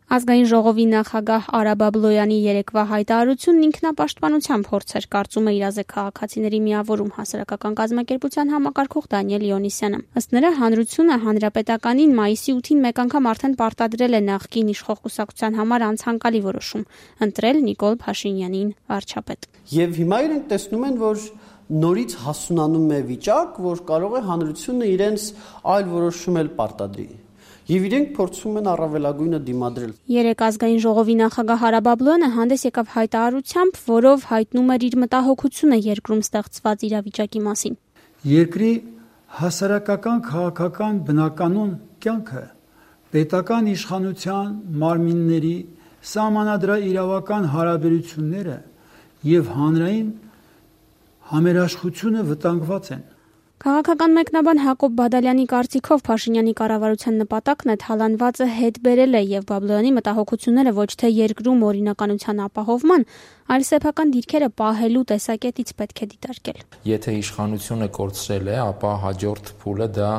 Ազգային ժողովի նախագահ Արա Բաբլոյանի երեկվա հայտարարությունն ինքնապաշտպանության փորձ էր, կարծում է իրազեկ քաղաքացիների միավորում հասարակական կազմակերպության համակարգող Դանիել Իոնիսյանը։ Ըստ նրա, հանրությունը հանրապետականին մայիսի 8-ին մեկ անգամ արդեն պարտադրել է նախկին իշխող կուսակցության համար անցանկալի որոշում՝ ընտրել Նիկոլ Փաշինյանին վարչապետ։ Եվ հիմա իրենք տեսնում են, որ նորից հասունանում է վիճակ, որ կարող է հանրությունը իրենց այլ որոշում էլ պարտադրի։ Եվ իրենք փորձում են առավելագույնը դիմադրել։ Երեք ազգային ժողովի նախագահ Արա Բաբլոյանը հանդես եկավ հայտարարությամբ, որով հայտնում էր իր մտահոգությունը երկրում ստեղծված իրավիճակի մասին։ Երկրի հասարակական քաղաքական բնականոն կյանքը պետական իշխանության մարմինների սահմանադրաիրավական հարաբերությունները եւ հանրային համերաշխությունը վտանգված են։ Քաղաքական մեկնաբան Հակոբ Բադալյանի կարծիքով Փաշինյանի կառավարության նպատակն է թալանվածը հետ բերել է եւ Բաբլոյանի մտահոգությունները ոչ թե երկրում օրինականության ապահովման, այլ սեփական դիրքերը պահելու տեսակետից պետք է դիտարկել։ Եթե իշխանությունը կորցրել է, ապա հաջորդ փուլը դա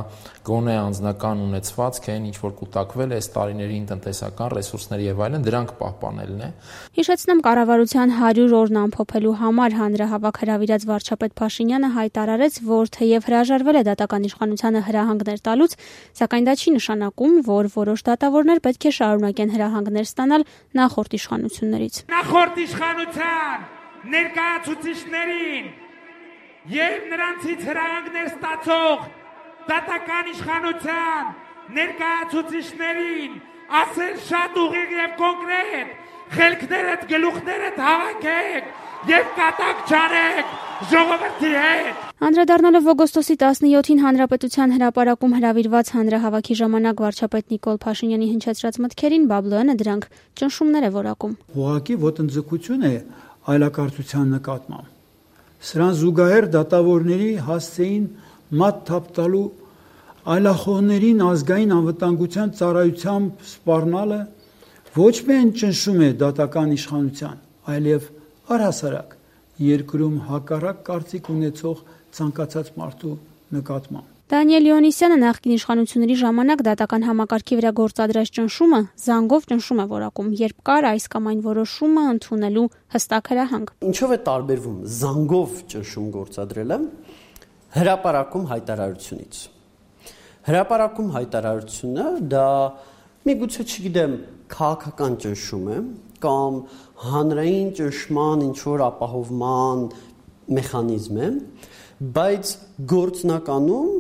գոնե անձնական ունեցվածք են, ինչ որ կուտակվել է տարիներին տնտեսական ռեսուրսների եւ այլն, դրանք պահպանելն է։ Հիշեցնեմ, կառավարության 100 օրն ամփոփելու համար հանրահավաք հրավիրած վարչապետ Փաշինյանը հայտարարեց, որ թեև հրաժարվել է դատական իշխանությանը հրահանգներ տալուց, սակայն դա չի նշանակում, որ որոշ դատավորներ պետք է շարունակեն հրահանգներ ստանալ նախորդ իշխանություններից։ Նախորդ իշխանության ներկայացուցիչներին եւ նրանցից հրահանգներ ստացող դատական իշխանության ներկայացուցիչներին ասել շատ ուղիղ եւ կոնկրետ, խելքներդ գլուխներդ հավաքեք եւ կատակ չանեք ժողովրդի հետ։ Անդրադառնալով օգոստոսի 17-ին Հանրապետության հրապարակում հրավիրված հանրահավաքի ժամանակ վարչապետ Նիկոլ Փաշինյանի հնչեցրած մտքերին Բաբլոյանը դրանք ճնշումներ է որակում։ Ուղղակի ոտնձգություն է այլակարծության նկատմամբ։ Սրան զուգահեռ դատավորների հասցեին մատ թափ տալու այլախոհներին ազգային անվտանգության ծառայությամբ սպառնալը ոչ միայն ճնշում է դատական իշխանության, այլև առհասարակ երկրում հակառակ կարծիք ունեցող ցանկացած մարդու նկատմամբ։ Դանիել Իոնիսյանը նախկին իշխանությունների ժամանակ դատական համակարգի վրա գործադրած ճնշումը զանգով ճնշում է որակում, երբ կար այս կամ այն որոշումը ընդունելու հստակ հրահանգ։ Ինչով է տարբերվում զանգով ճնշում գործադրելը հրապարակում հայտարարությունից։ Հրապարակում հայտարարությունը դա միգուցե չգիտեմ քաղաքական ճնշում է կամ հանրային ճնշման ինչ որ ապահովման մեխանիզմ է, բայց գործնականում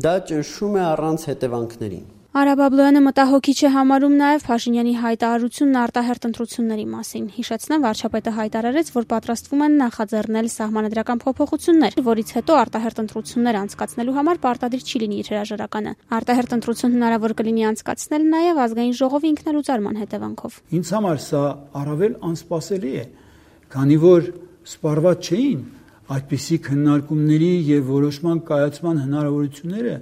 դա ճնշում է առանց հետևանքների։ Արա Բաբլոյանը մտահոգիչ է համարում նաև Փաշինյանի հայտարարությունն արտահերթ ընտրությունների մասին։ Հիշեցնեմ, վարչապետը հայտարարեց, որ պատրաստվում են նախաձեռնել սահմանադրական փոփոխություններ, որից հետո արտահերթ ընտրություններ անցկացնելու համար պարտադիր չի լինի իր հրաժարականը։ Արտահերթ ընտրություն հնարավոր կլինի անցկացնել նաև ազգային ժողովի ինքնալուծարման հետևանքով։ Ինձ համար սա առավել անսպասելի է, քանի որ սպառված չէին այդպիսի քննարկումների եւ որոշման կայացման հնարավորությունները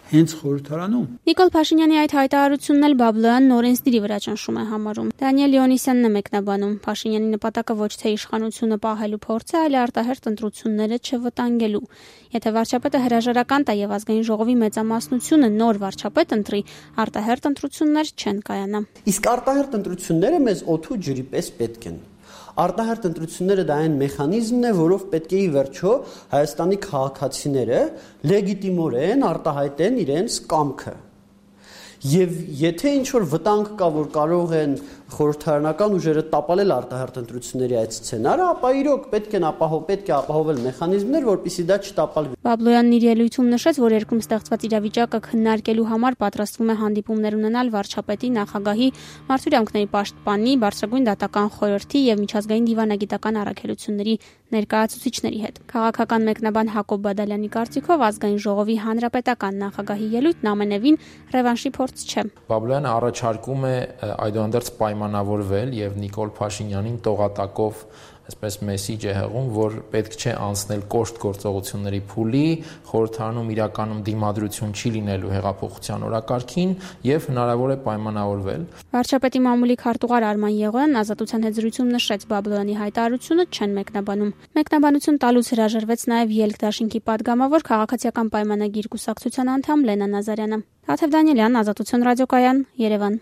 հենց խորհրդարանում։ Նիկոլ Փաշինյանի այդ հայտարարությունն էլ Բաբլոյանն օրենսդիրի վրա ճնշում է համարում։ Դանիել Իոնիսյանն է մեկնաբանում. Փաշինյանի նպատակը ոչ թե իշխանությունը պահելու փորձ է, այլ արտահերթ ընտրությունները չվտանգելու։ Եթե վարչապետը հրաժարական տա եւ ազգային ժողովի մեծամասնությունը նոր վարչապետ ընտրի, արտահերթ ընտրություններ չեն կայանա։ Իսկ արտահերթ ընտրությունները մեզ օդու ջրի պես պետք են։ Արտահերթ ընտրությունները դա այն մեխանիզմն է, որով պետք է ի վերջո Հայաստանի քաղաքացիները լեգիտիմորեն արտահայտեն իրենց կամքը։ Եվ եթե ինչ-որ վտանգ կա, որ կարող են խորհրդարանական ուժերը տապալել արտահերթ ընտրությունների այդ սցենարը, ապա իրոք պետք է ապահովել մեխանիզմներ, որպեսզի դա չտապալվի։ Բաբլոյանն իր ելույթում նշեց, որ երկրում ստեղծված իրավիճակը քննարկելու համար պատրաստվում է հանդիպումներ ունենալ վարչապետի, նախագահի, մարդու իրավունքների պաշտպանի, բարձրագույն դատական խորհրդի եւ միջազգային դիվանագիտական առաքելությունների ներկայացուցիչների հետ։ Քաղաքական մեկնաբան Հակոբ Բադալյանի կարծիքով ազգային ժողովի հանրապետական նախագահի ելույթն ամենևին ռևանշի փորձ չէ։ Բաբլոյանը առաջարկում է այդուհանդերձ պայմանավորվել եւ Նիկոլ Փաշինյանին տողատակով այսպես մեսիջ է հղում, որ պետք չէ անցնել կոշտ գործողությունների փուլի, խորհրդարանում իրականում դիմադրություն չի լինելու հեղափոխության օրակարգին եւ հնարավոր է պայմանավորվել։ Վարչապետի մամուլի քարտուղար Արման Եղոյանն Ազատության հետ զրույցում նշեց Բաբլոյանի հայտարարությունը չեն մեկնաբանում։ Մեկնաբանություն տալուց հրաժարվեց նաեւ Ելք դաշինքի падգամավոր քաղաքացիական պայմանագիր կուսակցության անդամ Լենա Նազարյանը։ Թաթև Դանիելյան, Ազատություն ռադիոկայան, Երևան։